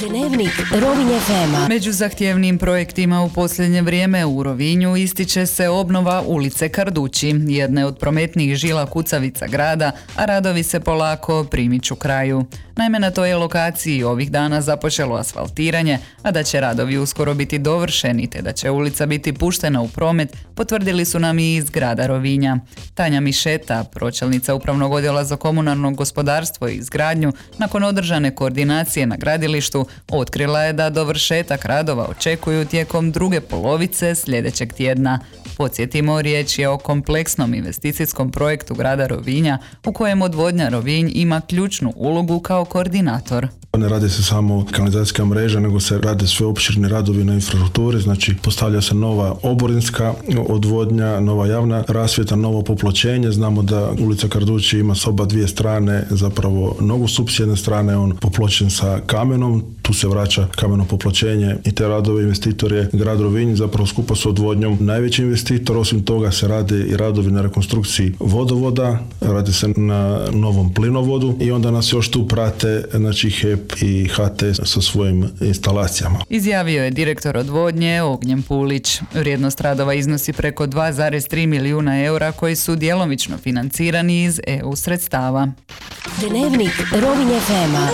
Dnevnik Rovinj FM-a. Među zahtjevnijim projektima u posljednje vrijeme u Rovinju ističe se obnova ulice Kardući, jedne od prometnijih žila kucavica grada, a radovi se polako primiču kraju. Naime, na toj lokaciji ovih dana započelo asfaltiranje, a da će radovi uskoro biti dovršeni te da će ulica biti puštena u promet, potvrdili su nam i iz grada Rovinja. Tanja Mišeta, pročelnica Upravnog odjela za komunalno gospodarstvo i izgradnju, nakon održane koordinacije na gradilištu, otkrila je da dovršetak radova očekuju tijekom druge polovice sljedećeg tjedna. Podsjetimo, riječ je o kompleksnom investicijskom projektu grada Rovinja u kojem odvodnja Rovinj ima ključnu ulogu kao koordinator. Ne radi se samo kanalizacijska mreža, nego se rade sve opširni radovi na infrastrukturi, znači postavlja se nova oborinska odvodnja, nova javna rasvjeta, novo popločenje. Znamo da ulica Kardući ima s oba dvije strane zapravo nogostup, s jedne strane on popločen sa kamenom, tu se vraća kameno popločenje i te radove investitor je grad Rovinj, zapravo skupa s odvodnjom najveći investitor. Osim toga se rade i radovi na rekonstrukciji vodovoda, radi se na novom plinovodu i onda nas još tu prate, znači HEP i HT sa svojim instalacijama. Izjavio je direktor odvodnje Ognjen Pulić. Vrijednost radova iznosi preko 2,3 milijuna eura koji su djelomično financirani iz EU sredstava. Dnevnik Rovinj FM-a.